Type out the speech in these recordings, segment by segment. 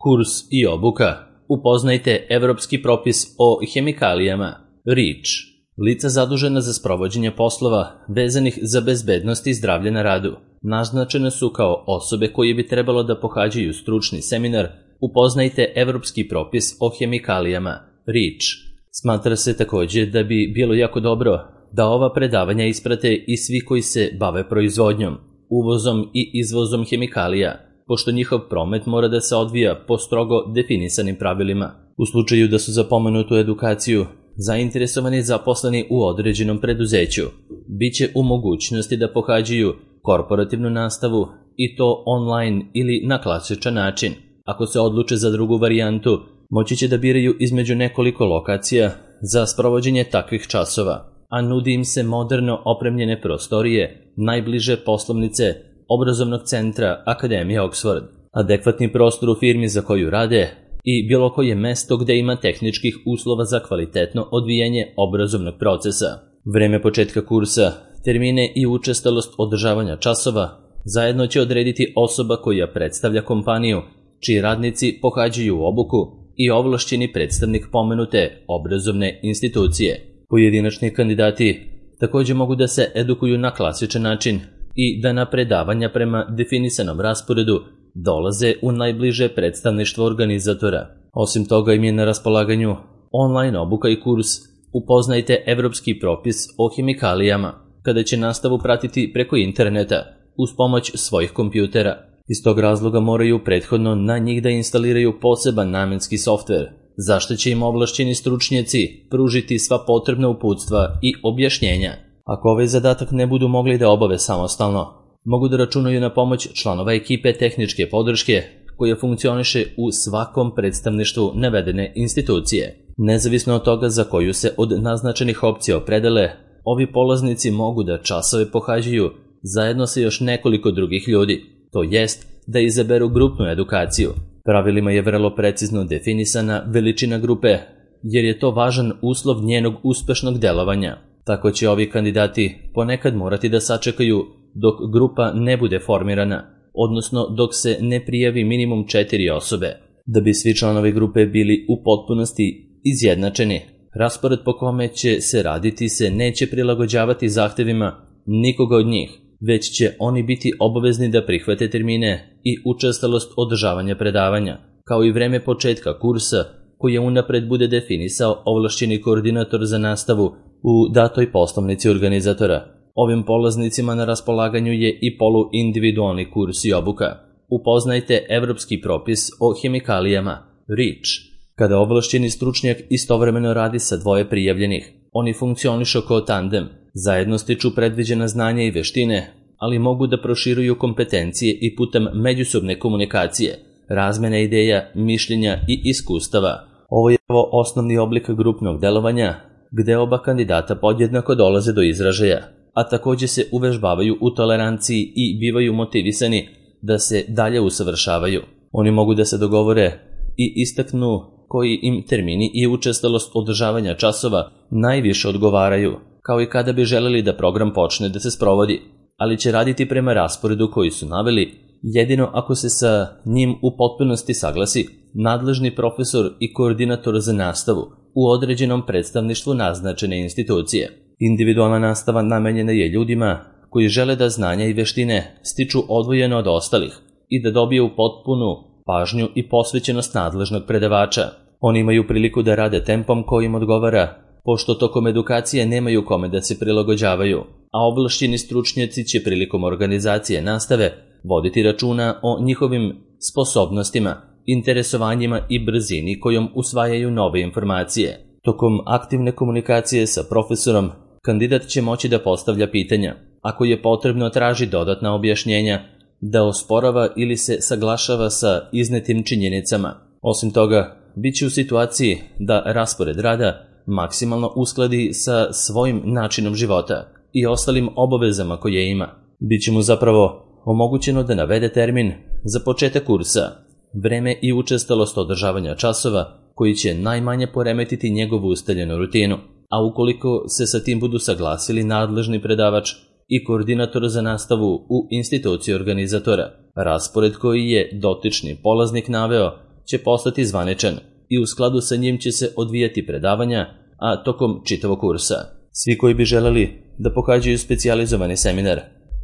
Kurs i obuka. Upoznajte evropski propis o hemikalijama, REACH. Lica zadužena za sprovođenje poslova vezanih za bezbednost i zdravlje na radu naznačene su kao osobe koje bi trebalo da pohađaju stručni seminar Upoznajte evropski propis o hemikalijama, REACH. Smatra se takođe da bi bilo jako dobro da ova predavanja isprate i svi koji se bave proizvodnjom, uvozom i izvozom hemikalija, pošto njihov promet mora da se odvija po strogo definisanim pravilima. U slučaju da su za pomenutu edukaciju zainteresovani zaposleni u određenom preduzeću, bit će u mogućnosti da pohađaju korporativnu nastavu i to online ili na klasičan način. Ako se odluče za drugu varijantu, moći će da biraju između nekoliko lokacija za sprovođenje takvih časova, a nudi im se moderno opremljene prostorije, najbliže poslovnice obrazovnog centra Akademije Oxford, adekvatni prostor u firmi za koju rade i bilo koje mesto gde ima tehničkih uslova za kvalitetno odvijanje obrazovnog procesa. Vreme početka kursa, termine i učestalost održavanja časova zajedno će odrediti osoba koja predstavlja kompaniju, čiji radnici pohađaju obuku i ovlašćeni predstavnik pomenute obrazovne institucije. Pojedinačni kandidati takođe mogu da se edukuju na klasičan način i da na predavanja prema definisanom rasporedu dolaze u najbliže predstavništvo organizatora. Osim toga im je na raspolaganju online obuka i kurs Upoznajte evropski propis o hemikalijama, kada će nastavu pratiti preko interneta uz pomoć svojih kompjutera. Iz tog razloga moraju prethodno na njih da instaliraju poseban namenski softver, zašto će im ovlašćeni stručnjaci pružiti sva potrebna uputstva i objašnjenja. Ako ovaj zadatak ne budu mogli da obave samostalno, mogu da računaju na pomoć članova ekipe tehničke podrške koja funkcioniše u svakom predstavništvu navedene institucije. Nezavisno od toga za koju se od naznačenih opcija opredele, ovi polaznici mogu da časove pohađaju zajedno sa još nekoliko drugih ljudi, to jest da izaberu grupnu edukaciju. Pravilima je vrlo precizno definisana veličina grupe, jer je to važan uslov njenog uspešnog delovanja. Tako će ovi kandidati ponekad morati da sačekaju dok grupa ne bude formirana, odnosno dok se ne prijavi minimum 4 osobe. Da bi svi članovi grupe bili u potpunosti izjednačeni, raspored po kome će se raditi se neće prilagođavati zahtevima nikoga od njih, već će oni biti obavezni da prihvate termine i učestalost održavanja predavanja, kao i vreme početka kursa koje unapred bude definisao ovlašćeni koordinator za nastavu u datoj poslovnici organizatora. Ovim polaznicima na raspolaganju je i poluindividualni kurs i obuka. Upoznajte evropski propis o hemikalijama, REACH. Kada ovlašćeni stručnjak istovremeno radi sa dvoje prijavljenih, oni funkcionišu kao tandem, zajedno stiču predviđena znanja i veštine, ali mogu da proširuju kompetencije i putem međusobne komunikacije, razmene ideja, mišljenja i iskustava. Ovo je osnovni oblik grupnog delovanja, gde oba kandidata podjednako dolaze do izražaja, a takođe se uvežbavaju u toleranciji i bivaju motivisani da se dalje usavršavaju. Oni mogu da se dogovore i istaknu koji im termini i učestalost održavanja časova najviše odgovaraju, kao i kada bi želeli da program počne da se sprovodi, ali će raditi prema rasporedu koji su naveli, jedino ako se sa njim u potpunosti saglasi nadležni profesor i koordinator za nastavu u određenom predstavništvu naznačene institucije. Individualna nastava namenjena je ljudima koji žele da znanja i veštine stiču odvojeno od ostalih i da dobiju potpunu pažnju i posvećenost nadležnog predavača. Oni imaju priliku da rade tempom koji im odgovara, pošto tokom edukacije nemaju kome da se prilagođavaju, a ovlašćeni stručnjaci će prilikom organizacije nastave voditi računa o njihovim sposobnostima, interesovanjima i brzini kojom usvajaju nove informacije. Tokom aktivne komunikacije sa profesorom, kandidat će moći da postavlja pitanja. Ako je potrebno, traži dodatna objašnjenja, da osporava ili se saglašava sa iznetim činjenicama. Osim toga, bit će u situaciji da raspored rada maksimalno uskladi sa svojim načinom života i ostalim obavezama koje ima. Biće mu zapravo omogućeno da navede termin za početak kursa, vreme i učestalost održavanja časova koji će najmanje poremetiti njegovu ustaljenu rutinu, a ukoliko se sa tim budu saglasili nadležni predavač i koordinator za nastavu u instituciji organizatora, raspored koji je dotični polaznik naveo će postati zvaničan i u skladu sa njim će se odvijati predavanja, a tokom čitavog kursa. Svi koji bi želeli da pohađaju specijalizovani seminar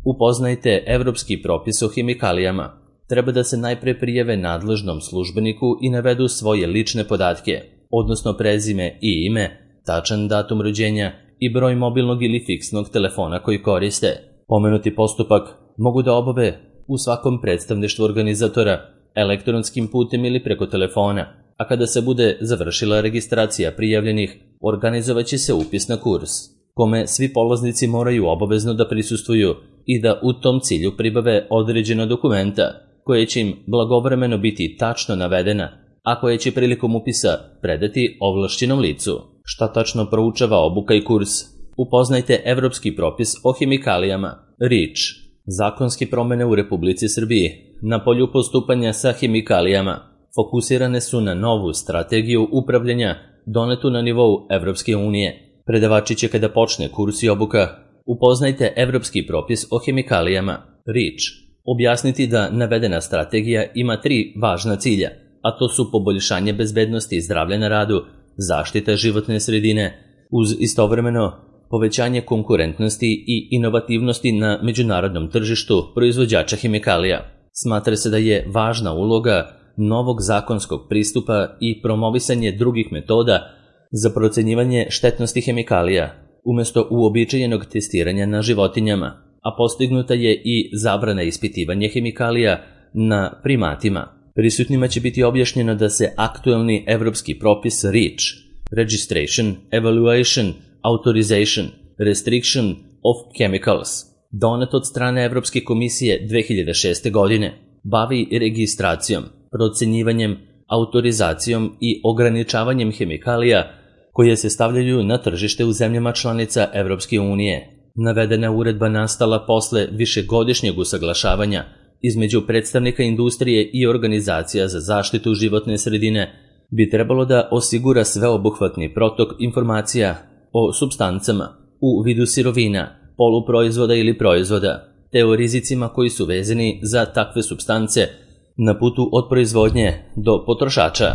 Upoznajte evropski propis o hemikalijama, treba da se najpre prijave nadležnom službeniku i navedu svoje lične podatke, odnosno prezime i ime, tačan datum rođenja i broj mobilnog ili fiksnog telefona koji koriste. Pomenuti postupak mogu da obave u svakom predstavništvu organizatora, elektronskim putem ili preko telefona, a kada se bude završila registracija prijavljenih, organizovaće se upis na kurs, kome svi polaznici moraju obavezno da prisustvuju i da u tom cilju pribave određena dokumenta, koje će im blagovremeno biti tačno navedena, a koje će prilikom upisa predati ovlašćenom licu. Šta tačno proučava obuka i kurs? Upoznajte evropski propis o hemikalijama, REACH. Zakonske promene u Republici Srbiji na polju postupanja sa hemikalijama fokusirane su na novu strategiju upravljanja donetu na nivou Evropske unije. Predavači će kada počne kurs i obuka Upoznajte evropski propis o hemikalijama, REACH, objasniti da navedena strategija ima 3 važna cilja, a to su poboljšanje bezbednosti i zdravlja na radu, zaštita životne sredine, uz istovremeno povećanje konkurentnosti i inovativnosti na međunarodnom tržištu proizvođača hemikalija. Smatra se da je važna uloga novog zakonskog pristupa i promovisanje drugih metoda za procenjivanje štetnosti hemikalija, umesto uobičajenog testiranja na životinjama, a postignuta je i zabrana ispitivanja hemikalija na primatima. Prisutnima će biti objašnjeno da se aktuelni evropski propis REACH, Registration, Evaluation, Authorization, Restriction of Chemicals, donet od strane Evropske komisije 2006. godine, bavi registracijom, procenjivanjem, autorizacijom i ograničavanjem hemikalija koje se stavljaju na tržište u zemljama članica Evropske unije. Navedena uredba nastala posle višegodišnjeg usaglašavanja između predstavnika industrije i organizacija za zaštitu životne sredine bi trebalo da osigura sveobuhvatni protok informacija o supstancama u vidu sirovina, poluproizvoda ili proizvoda, te o rizicima koji su vezani za takve supstance na putu od proizvodnje do potrošača,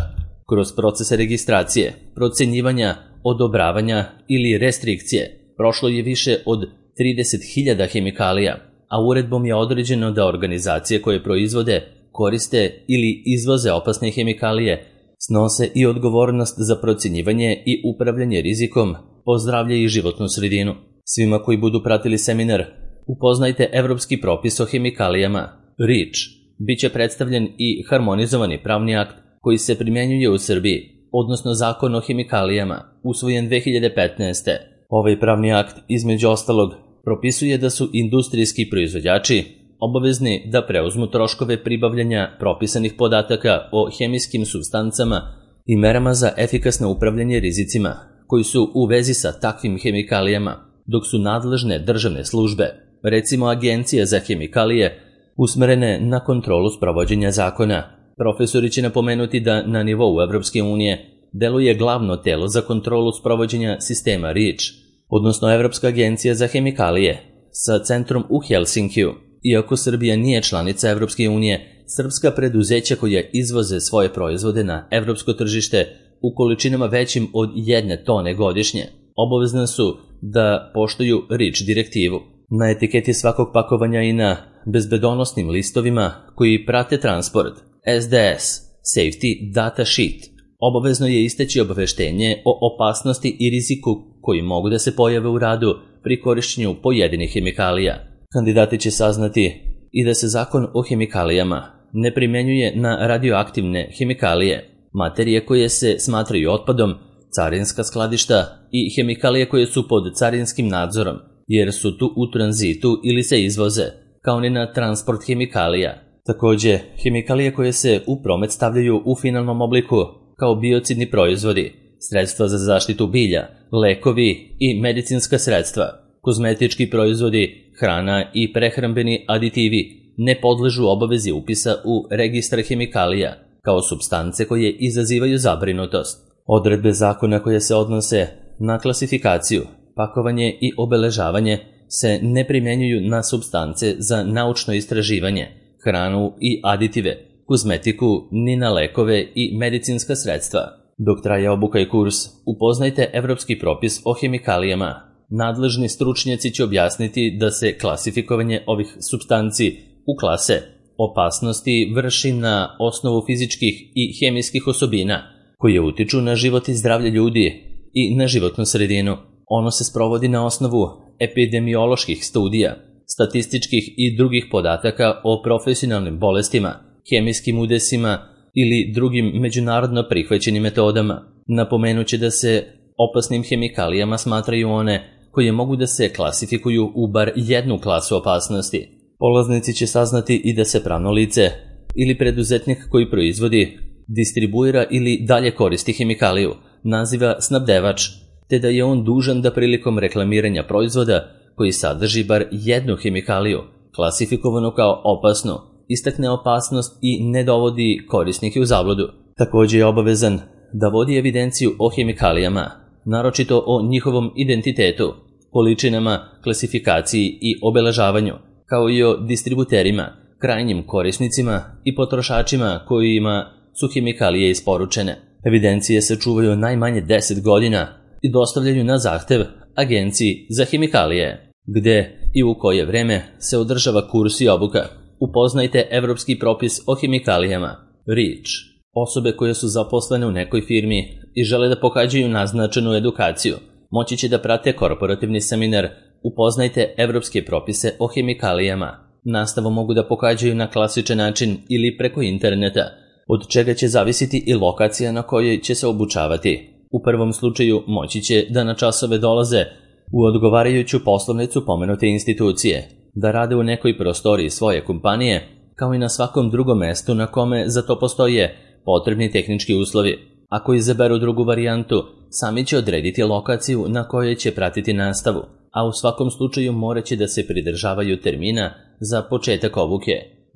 kroz procese registracije, procenjivanja, odobravanja ili restrikcije. Prošlo je više od 30.000 hemikalija, a uredbom je određeno da organizacije koje proizvode, koriste ili izvoze opasne hemikalije snose i odgovornost za procenjivanje i upravljanje rizikom po zdravlje i životnu sredinu. Svima koji budu pratili seminar Upoznajte evropski propis o hemikalijama, REACH, biće predstavljen i harmonizovani pravni akt koji se primjenjuje u Srbiji, odnosno Zakon o hemikalijama, usvojen 2015. Ovaj pravni akt, između ostalog, propisuje da su industrijski proizvođači obavezni da preuzmu troškove pribavljanja propisanih podataka o hemijskim supstancama i merama za efikasno upravljanje rizicima koji su u vezi sa takvim hemikalijama, dok su nadležne državne službe, recimo Agencija za hemikalije, usmerene na kontrolu sprovođenja zakona. Profesori će napomenuti da na nivou Evropske unije deluje glavno telo za kontrolu sprovođenja sistema REACH, odnosno Evropska agencija za hemikalije, sa centrom u Helsinkiju. Iako Srbija nije članica Evropske unije, srpska preduzeća koja izvoze svoje proizvode na evropsko tržište u količinama većim od 1 tone godišnje, obavezna su da poštuju REACH direktivu. Na etiketi svakog pakovanja i na bezbedonosnim listovima koji prate transport, SDS, Safety Data Sheet, obavezno je isteći obaveštenje o opasnosti i riziku koji mogu da se pojave u radu pri korišćenju pojedinih hemikalija. Kandidati će saznati i da se zakon o hemikalijama ne primenjuje na radioaktivne hemikalije, materije koje se smatraju otpadom, carinska skladišta i hemikalije koje su pod carinskim nadzorom, jer su tu u tranzitu ili se izvoze, kao ni na transport hemikalija. Takođe, hemikalije koje se u promet stavljaju u finalnom obliku kao biocidni proizvodi, sredstva za zaštitu bilja, lekovi i medicinska sredstva, kozmetički proizvodi, hrana i prehrambeni aditivi ne podležu obavezi upisa u registar hemikalija kao supstance koje izazivaju zabrinutost. Odredbe zakona koje se odnose na klasifikaciju, pakovanje i obeležavanje se ne primjenjuju na supstance za naučno istraživanje, hranu i aditive, kozmetiku, ni na lekove i medicinska sredstva. Dok traje obuka i kurs, upoznajte evropski propis o hemikalijama. Nadležni stručnjaci će objasniti da se klasifikovanje ovih supstanci u klase opasnosti vrši na osnovu fizičkih i hemijskih osobina koje utiču na život i zdravlje ljudi i na životnu sredinu. Ono se sprovodi na osnovu epidemioloških studija, statističkih i drugih podataka o profesionalnim bolestima, hemijskim udesima ili drugim međunarodno prihvaćenim metodama. Napomenuće da se opasnim hemikalijama smatraju one koje mogu da se klasifikuju u bar jednu klasu opasnosti. Polaznici će saznati i da se pravno lice ili preduzetnik koji proizvodi, distribuira ili dalje koristi hemikaliju naziva snabdevač, te da je on dužan da prilikom reklamiranja proizvoda koji sadrži bar jednu hemikaliju, klasifikovanu kao opasnu, istakne opasnost i ne dovodi korisnike u zabludu. Također je obavezan da vodi evidenciju o hemikalijama, naročito o njihovom identitetu, količinama, klasifikaciji i obeležavanju, kao i o distributerima, krajnjim korisnicima i potrošačima kojima su hemikalije isporučene. Evidencije se čuvaju najmanje 10 godina i dostavljaju na zahtev Agenciji za hemikalije, gde i u koje vreme se održava kurs i obuka. Upoznajte evropski propis o hemikalijama, REACH. Osobe koje su zaposlene u nekoj firmi i žele da pohađaju naznačenu edukaciju, moći će da prate korporativni seminar Upoznajte evropske propise o hemikalijama. Nastavu mogu da pohađaju na klasičan način ili preko interneta, od čega će zavisiti i lokacija na kojoj će se obučavati. U prvom slučaju moći će da na časove dolaze u odgovarajuću poslovnicu pomenute institucije, da rade u nekoj prostoriji svoje kompanije, kao i na svakom drugom mestu na kome za to postoje potrebni tehnički uslovi. Ako izaberu drugu varijantu, sami će odrediti lokaciju na kojoj će pratiti nastavu, a u svakom slučaju morat će da se pridržavaju termina za početak obuke,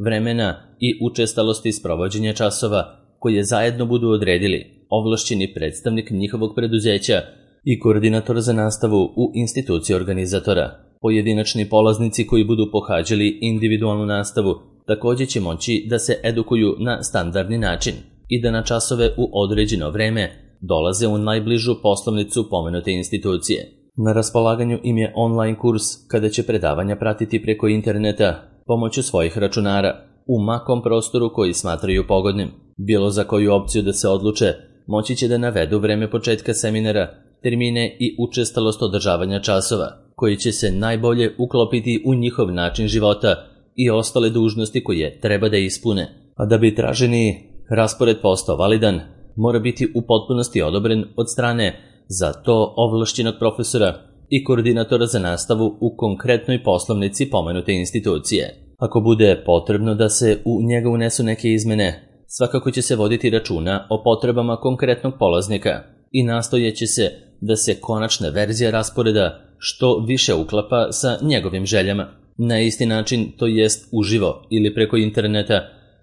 vremena i učestalosti sprovođenja časova koje zajedno budu odredili ovlašćeni predstavnik njihovog preduzeća i koordinator za nastavu u instituciji organizatora. Pojedinačni polaznici koji budu pohađali individualnu nastavu također će moći da se edukuju na standardni način i da na časove u određeno vreme dolaze u najbližu poslovnicu pomenute institucije. Na raspolaganju im je online kurs kada će predavanja pratiti preko interneta pomoću svojih računara u makom prostoru koji smatraju pogodnim. Bilo za koju opciju da se odluče, moći će da navedu vreme početka seminara, termine i učestalost održavanja časova, koji će se najbolje uklopiti u njihov način života i ostale dužnosti koje treba da ispune. A da bi traženi raspored postao validan, mora biti u potpunosti odobren od strane za to ovlašćenog profesora i koordinatora za nastavu u konkretnoj poslovnici pomenute institucije. Ako bude potrebno da se u njega unesu neke izmene, svakako će se voditi računa o potrebama konkretnog polaznika i nastojeće se da se konačna verzija rasporeda što više uklapa sa njegovim željama. Na isti način, to jest uživo ili preko interneta,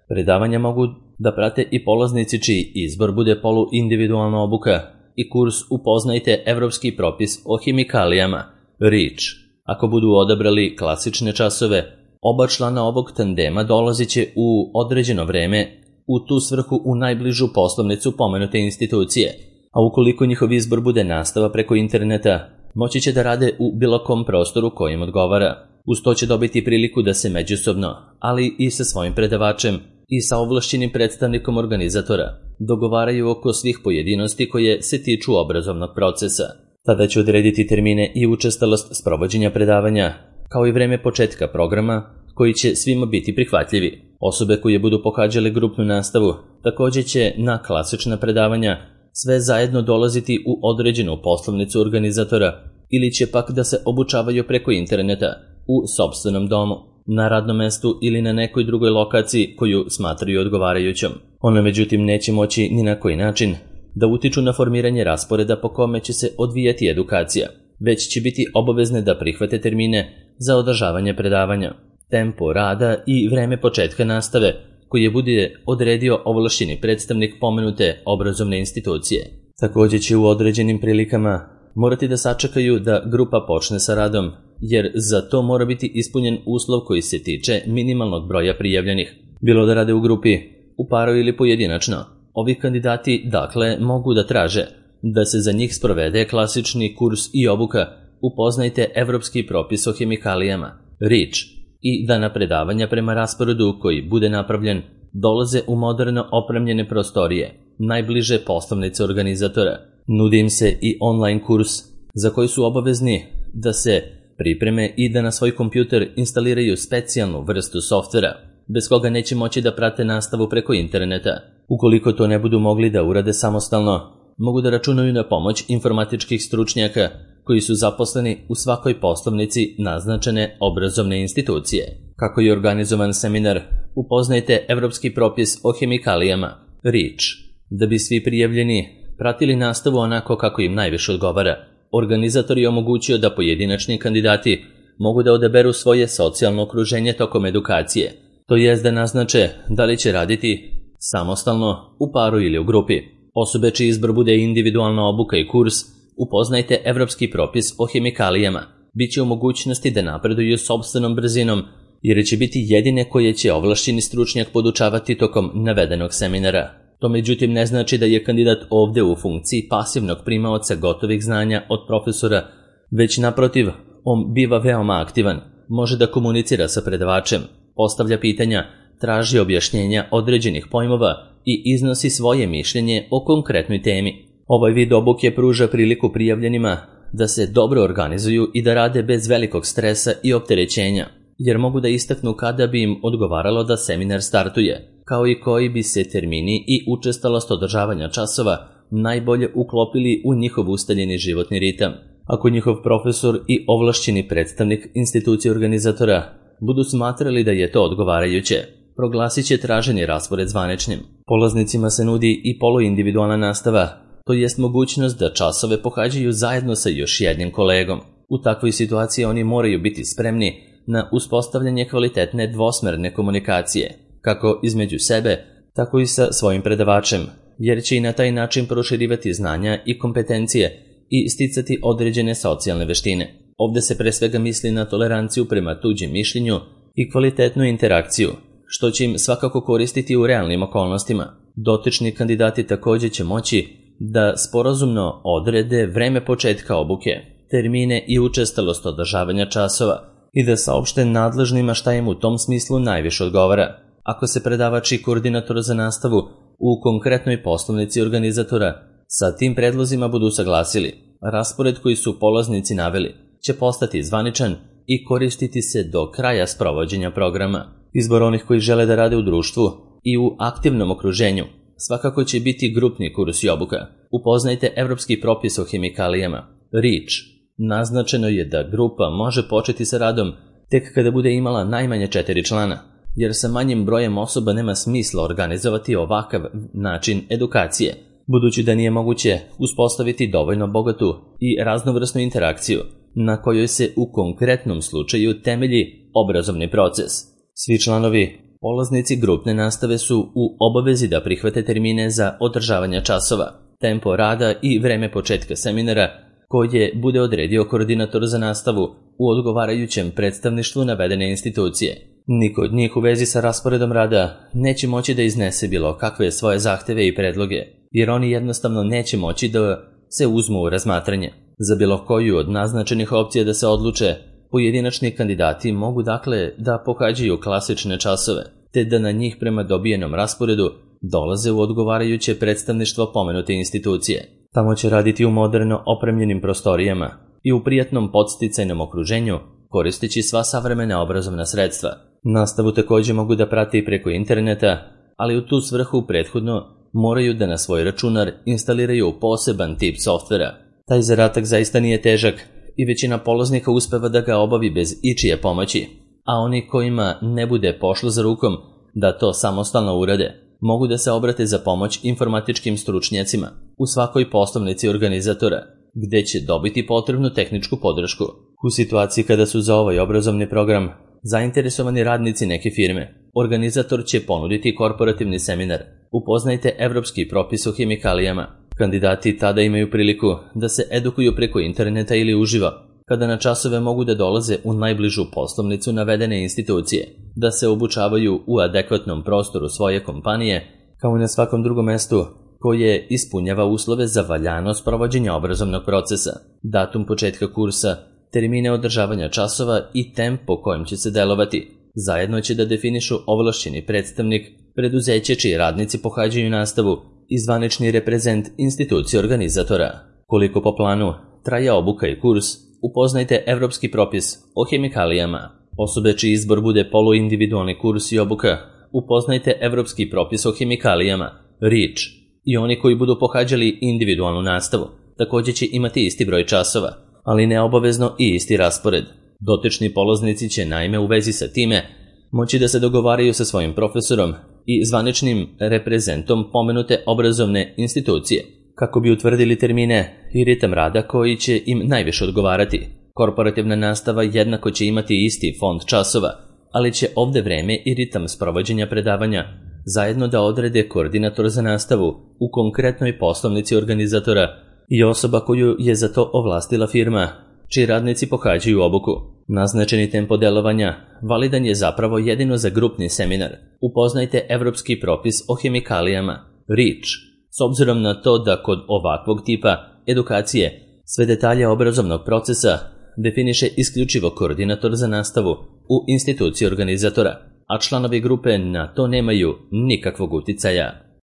predavanja mogu da prate i polaznici čiji izbor bude poluindividualna obuka i kurs Upoznajte evropski propis o hemikalijama, REACH. Ako budu odabrali klasične časove, oba člana ovog tandema dolazit će u određeno vreme u tu svrhu u najbližu poslovnicu pomenute institucije, a ukoliko njihov izbor bude nastava preko interneta, moći će da rade u bilo kom prostoru kojim odgovara. Uz to će dobiti priliku da se međusobno, ali i sa svojim predavačem i sa ovlašćenim predstavnikom organizatora, dogovaraju oko svih pojedinosti koje se tiču obrazovnog procesa. Tada će odrediti termine i učestalost sprovođenja predavanja, kao i vreme početka programa, koji će svima biti prihvatljivi. Osobe koje budu pohađale grupnu nastavu također će na klasična predavanja sve zajedno dolaziti u određenu poslovnicu organizatora ili će pak da se obučavaju preko interneta u sopstvenom domu, na radnom mestu ili na nekoj drugoj lokaciji koju smatraju odgovarajućom. One međutim neće moći ni na koji način da utiču na formiranje rasporeda po kome će se odvijati edukacija, već će biti obavezne da prihvate termine za održavanje predavanja, tempo rada i vreme početka nastave koje bude odredio ovlašćeni predstavnik pomenute obrazovne institucije. Također će u određenim prilikama morati da sačekaju da grupa počne sa radom, jer za to mora biti ispunjen uslov koji se tiče minimalnog broja prijavljenih. Bilo da rade u grupi u paru ili pojedinačno. Ovi kandidati, dakle, mogu da traže da se za njih sprovede klasični kurs i obuka Upoznajte evropski propis o hemikalijama, REACH, i da na predavanja prema rasporedu koji bude napravljen dolaze u moderno opremljene prostorije, najbliže poslovnice organizatora. Nudi im se i online kurs za koji su obavezni da se pripreme i da na svoj kompjuter instaliraju specijalnu vrstu softvera, bez koga neće moći da prate nastavu preko interneta. Ukoliko to ne budu mogli da urade samostalno, mogu da računaju na pomoć informatičkih stručnjaka koji su zaposleni u svakoj poslovnici naznačene obrazovne institucije. Kako je organizovan seminar Upoznajte evropski propis o hemikalijama, REACH, da bi svi prijavljeni pratili nastavu onako kako im najviše odgovara. Organizator je omogućio da pojedinačni kandidati mogu da odaberu svoje socijalno okruženje tokom edukacije, to jest da naznače da li će raditi samostalno, u paru ili u grupi. Osobe čiji izbor bude individualna obuka i kurs Upoznajte evropski propis o hemikalijama biće u mogućnosti da napreduju sopstvenom brzinom, jer će biti jedine koje će ovlašćeni stručnjak podučavati tokom navedenog seminara. To međutim ne znači da je kandidat ovde u funkciji pasivnog primaoca gotovih znanja od profesora, već naprotiv, on biva veoma aktivan, može da komunicira sa predavačem, postavlja pitanja, traži objašnjenja određenih pojmova i iznosi svoje mišljenje o konkretnoj temi. Ovaj vid obuke pruža priliku prijavljenima da se dobro organizuju i da rade bez velikog stresa i opterećenja, jer mogu da istaknu kada bi im odgovaralo da seminar startuje, kao i koji bi se termini i učestalost održavanja časova najbolje uklopili u njihov ustaljeni životni ritam. Ako njihov profesor i ovlašćeni predstavnik institucije organizatora budu smatrali da je to odgovarajuće, proglasit će traženi raspored zvaničnim. Polaznicima se nudi i poluindividualna nastava, to jest mogućnost da časove pohađaju zajedno sa još jednim kolegom. U takvoj situaciji oni moraju biti spremni na uspostavljanje kvalitetne dvosmerne komunikacije, kako između sebe, tako i sa svojim predavačem, jer će i na taj način proširivati znanja i kompetencije i sticati određene socijalne veštine. Ovde se pre svega misli na toleranciju prema tuđem mišljenju i kvalitetnu interakciju, što će im svakako koristiti u realnim okolnostima. Dotični kandidati također će moći da sporazumno odrede vreme početka obuke, termine i učestalost održavanja časova i da saopšte nadležnima šta im u tom smislu najviše odgovara. Ako se predavač i koordinator za nastavu u konkretnoj poslovnici organizatora sa tim predlozima budu usaglasili, raspored koji su polaznici naveli će postati zvaničan i koristiti se do kraja sprovođenja programa. Izbor onih koji žele da rade u društvu i u aktivnom okruženju svakako će biti grupni kurs i obuka. Upoznajte evropski propis o hemikalijama, REACH. Naznačeno je da grupa može početi sa radom tek kada bude imala najmanje 4 člana, jer sa manjim brojem osoba nema smisla organizovati ovakav način edukacije, budući da nije moguće uspostaviti dovoljno bogatu i raznovrsnu interakciju na kojoj se u konkretnom slučaju temelji obrazovni proces. Svi članovi, polaznici grupne nastave su u obavezi da prihvate termine za održavanje časova, tempo rada i vreme početka seminara koje bude odredio koordinator za nastavu u odgovarajućem predstavništvu navedene institucije. Niko od njih u vezi sa rasporedom rada neće moći da iznese bilo kakve svoje zahteve i predloge, jer oni jednostavno neće moći da se uzmu u razmatranje. Za bilo koju od naznačenih opcija da se odluče, pojedinačni kandidati mogu dakle da pohađaju klasične časove, te da na njih prema dobijenom rasporedu dolaze u odgovarajuće predstavništvo pomenute institucije. Tamo će raditi u moderno opremljenim prostorijama i u prijatnom podsticajnom okruženju, koristeći sva savremena obrazovna sredstva. Nastavu također mogu da prate i preko interneta, ali u tu svrhu prethodno moraju da na svoj računar instaliraju poseban tip softvera. Taj zadatak zaista nije težak i većina polaznika uspeva da ga obavi bez ičije pomoći, a oni kojima ne bude pošlo za rukom da to samostalno urade, mogu da se obrate za pomoć informatičkim stručnjacima u svakoj poslovnici organizatora, gde će dobiti potrebnu tehničku podršku. U situaciji kada su za ovaj obrazovni program zainteresovani radnici neke firme, organizator će ponuditi korporativni seminar Upoznajte evropski propis o hemikalijama. Kandidati tada imaju priliku da se edukuju preko interneta ili uživo, kada na časove mogu da dolaze u najbližu poslovnicu navedene institucije, da se obučavaju u adekvatnom prostoru svoje kompanije, kao i na svakom drugom mestu koje ispunjava uslove za valjanost provođenja obrazovnog procesa, datum početka kursa, termine održavanja časova i temp po kojem će se delovati. Zajedno će da definišu ovlašćeni predstavnik, preduzeće čiji radnici pohađaju nastavu i zvanični reprezent institucije organizatora. Koliko po planu traje obuka i kurs, upoznajte Evropski propis o hemikalijama. Osobe čiji izbor bude poluindividualni kurs i obuka, upoznajte Evropski propis o hemikalijama, REACH, i oni koji budu pohađali individualnu nastavu, također će imati isti broj časova, ali ne obavezno i isti raspored. Dotični polaznici će naime u vezi sa time moći da se dogovaraju sa svojim profesorom i zvaničnim reprezentom pomenute obrazovne institucije, kako bi utvrdili termine i ritam rada koji će im najviše odgovarati. Korporativna nastava jednako će imati isti fond časova, ali će ovde vreme i ritam sprovođenja predavanja zajedno da odrede koordinator za nastavu u konkretnoj poslovnici organizatora i osoba koju je za to ovlastila firma, čiji radnici pohađaju obuku. Naznačeni tempo delovanja validan je zapravo jedino za grupni seminar. Upoznajte Evropski propis o hemikalijama, REACH, s obzirom na to da kod ovakvog tipa edukacije sve detalje obrazovnog procesa definiše isključivo koordinator za nastavu u instituciji organizatora, a članovi grupe na to nemaju nikakvog uticaja.